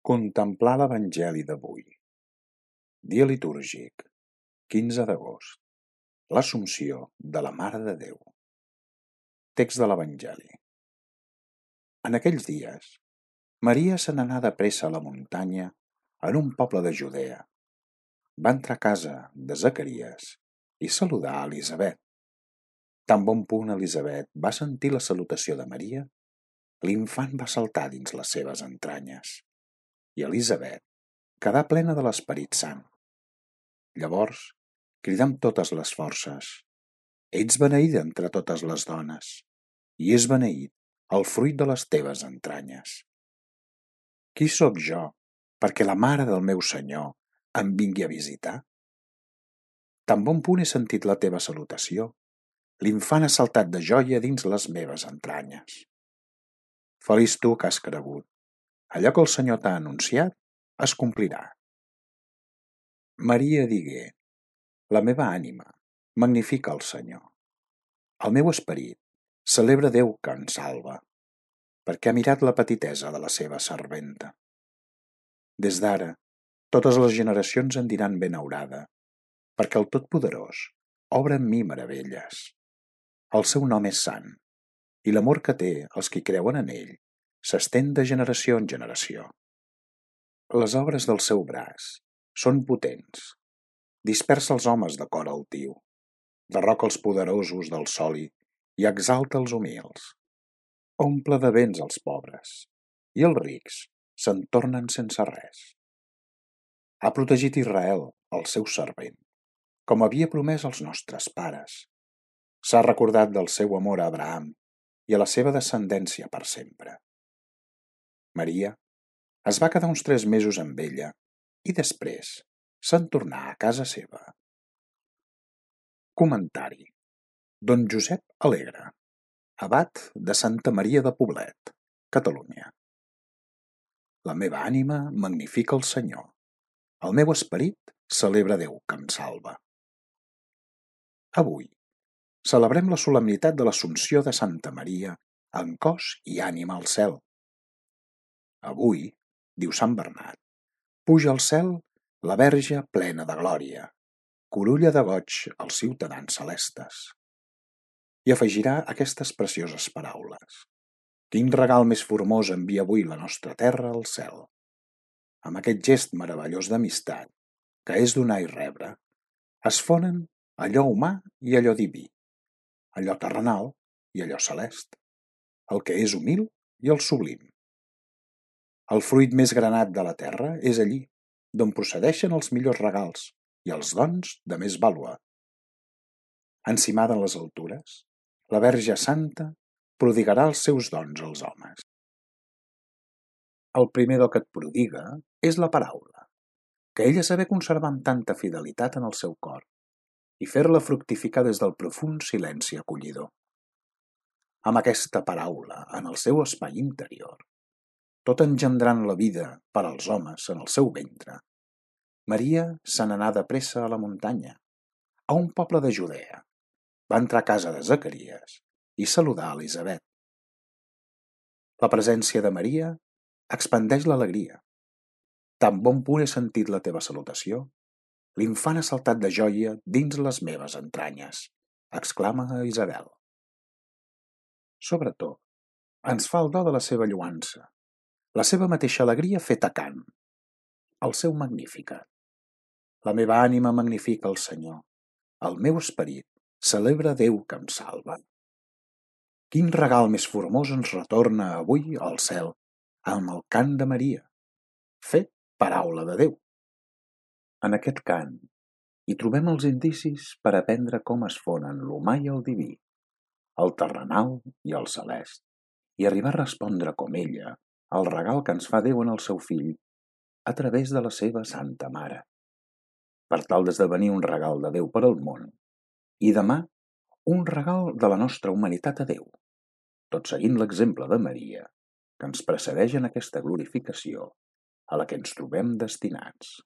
Contemplar l'Evangeli d'avui. Dia litúrgic, 15 d'agost. L'Assumpció de la Mare de Déu. Text de l'Evangeli. En aquells dies, Maria se n'anà de pressa a la muntanya en un poble de Judea. Va entrar a casa de Zacaries i saludar a Elisabet. Tan bon punt Elisabet va sentir la salutació de Maria, l'infant va saltar dins les seves entranyes, i Elisabet quedà plena de l'Esperit Sant. Llavors, cridà amb totes les forces: «Ets beneïda entre totes les dones, i és beneït el fruit de les teves entranyes. Qui sóc jo perquè la mare del meu Senyor em vingui a visitar? Tan bon punt he sentit la teva salutació, l'infant ha saltat de joia dins les meves entranyes. Feliç tu que has cregut, allò que el Senyor t'ha anunciat es complirà». Maria digué: «La meva ànima magnifica el Senyor. El meu esperit celebra Déu que em salva, perquè ha mirat la petitesa de la seva serventa. Des d'ara, totes les generacions em diran benaurada, perquè el Totpoderós obra en mi meravelles. El seu nom és sant, i l'amor que té els qui creuen en ell s'estén de generació en generació. Les obres del seu braç són potents, dispersa els homes de cor altiu, derroca els poderosos del soli i exalta els humils. Omple de béns els pobres, i els rics se'n tornen sense res. Ha protegit Israel, el seu servent, com havia promès als nostres pares. S'ha recordat del seu amor a Abraham i a la seva descendència per sempre. Maria es va quedar uns 3 mesos amb ella i després se'n tornà a casa seva. Comentari. Don Josep Alegre, abat de Santa Maria de Poblet, Catalunya. La meva ànima magnifica el Senyor. El meu esperit celebra Déu que em salva. Avui celebrem la solemnitat de l'Assumpció de Santa Maria en cos i ànima al cel. Avui, diu Sant Bernat, puja al cel la Verge plena de glòria, corulla de goig als ciutadans celestes. I afegirà aquestes precioses paraules: «Quin regal més formós envia avui la nostra terra al cel». Amb aquest gest meravellós d'amistat, que és donar i rebre, es fonen allò humà i allò diví, allò terrenal i allò celest, el que és humil i el sublim. El fruit més granat de la terra és allí, d'on procedeixen els millors regals i els dons de més vàlua. Encimada en les altures, la Verge Santa prodigarà els seus dons als homes. El primer do que et prodiga és la paraula, que ella saber conservar amb tanta fidelitat en el seu cor i fer-la fructificar des del profund silenci acollidor. Amb aquesta paraula en el seu espai interior, tot engendrant la vida per als homes en el seu ventre, Maria se n'anà de pressa a la muntanya, a un poble de Judea. Va entrar a casa de Zacaries i saludar a Elisabet. La presència de Maria expandeix l'alegria. Tan bon punt he sentit la teva salutació, l'infant ha saltat de joia dins les meves entranyes, exclama Isabel. Sobretot, ens fa el do de la seva lloança, la seva mateixa alegria feta cant, el seu Magnificat. La meva ànima magnifica el Senyor, el meu esperit celebra Déu que em salva. Quin regal més formós ens retorna avui al cel amb el cant de Maria, fet paraula de Déu. En aquest cant hi trobem els indicis per aprendre com es fonen l'humà i el diví, el terrenal i el celest, i arribar a respondre com ella al regal que ens fa Déu en el seu fill a través de la seva Santa Mare, per tal d'esdevenir un regal de Déu per al món i demà un regal de la nostra humanitat a Déu, tot seguint l'exemple de Maria, que ens precedeix en aquesta glorificació a la que ens trobem destinats.